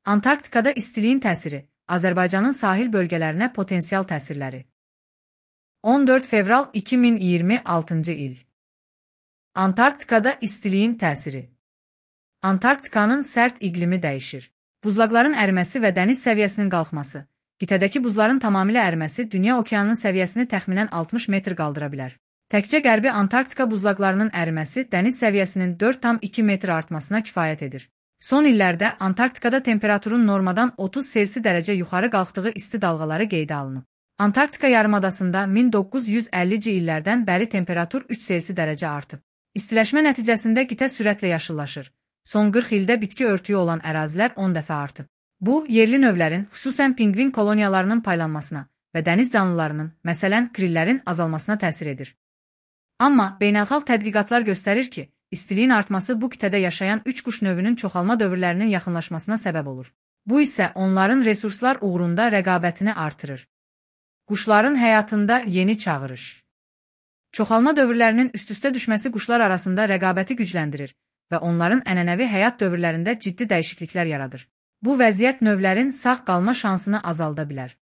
Antarktikada istiliyin təsiri, Azərbaycanın sahil bölgələrinə potensial təsirləri. 14 fevral 2026-cı il. Antarktikada istiliyin təsiri. Antarktikanın sərt iqlimi dəyişir. Buzlaqların əriməsi və dəniz səviyyəsinin qalxması. Qitədəki buzların tamamilə əriməsi dünya okeanının səviyyəsini təxminən 60 metr qaldıra bilər. Təkcə qərbi Antarktika buzlaqlarının əriməsi dəniz səviyyəsinin 4,2 metr artmasına kifayət edir. Son illərdə Antarktikada temperaturun normadan 30 Selsi dərəcə yuxarı qalxdığı isti dalğaları qeydə alınıb. Antarktika yarımadasında 1950-ci illərdən bəri temperatur 3 Selsi dərəcə artıb. İstiləşmə nəticəsində qitə sürətlə yaşıllaşır. Son 40 ildə bitki örtüyü olan ərazilər 10 dəfə artıb. Bu, yerli növlərin, xüsusən pinqvin koloniyalarının paylanmasına və dəniz canlılarının, məsələn, krillərin azalmasına təsir edir. Amma beynəlxalq tədqiqatlar göstərir ki, istiliyin artması bu qitədə yaşayan üç quş növünün çoxalma dövrlərinin yaxınlaşmasına səbəb olur. Bu isə onların resurslar uğrunda rəqabətini artırır. Quşların həyatında yeni çağırış. Çoxalma dövrlərinin üst-üstə düşməsi quşlar arasında rəqabəti gücləndirir və onların ənənəvi həyat dövrlərində ciddi dəyişikliklər yaradır. Bu vəziyyət növlərin sağ qalma şansını azalda bilər.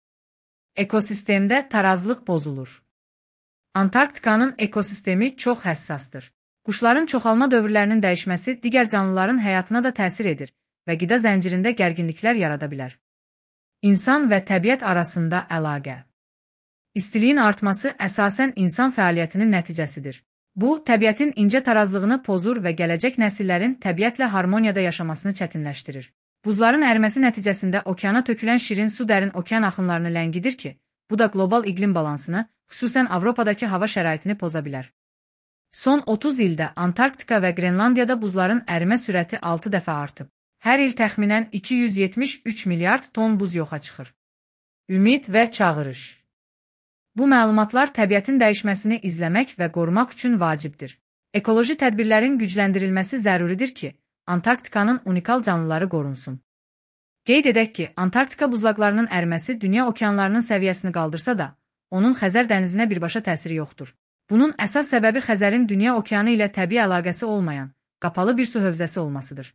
Ekosistemdə tarazlıq pozulur. Antarktikanın ekosistemi çox həssasdır. Quşların çoxalma dövrlərinin dəyişməsi digər canlıların həyatına da təsir edir və qida zəncirində gərginliklər yarada bilər. İnsan və təbiət arasında əlaqə. İstiliyin artması əsasən insan fəaliyyətinin nəticəsidir. Bu, təbiətin incə tarazlığını pozur və gələcək nəsillərin təbiətlə harmoniyada yaşamasını çətinləşdirir. Buzların əriməsi nəticəsində okeana tökülən şirin su dərin okean axınlarını ləngidir ki, bu da qlobal iqlim balansını, xüsusən Avropadakı hava şəraitini poza bilər. Son 30 ildə Antarktika və Qrenlandiyada buzların ərimə sürəti 6 dəfə artıb. Hər il təxminən 273 milyard ton buz yoxa çıxır. Ümid və çağırış. Bu məlumatlar təbiətin dəyişməsini izləmək və qorumaq üçün vacibdir. Ekoloji tədbirlərin gücləndirilməsi zəruridir ki, Antarktikanın unikal canlıları qorunsun. Qeyd edək ki, Antarktika buzlaqlarının əriməsi dünya okeanlarının səviyyəsini qaldırsa da, onun Xəzər dənizinə birbaşa təsiri yoxdur. Bunun əsas səbəbi Xəzərin dünya okeanı ilə təbii əlaqəsi olmayan, qapalı bir su hövzəsi olmasıdır.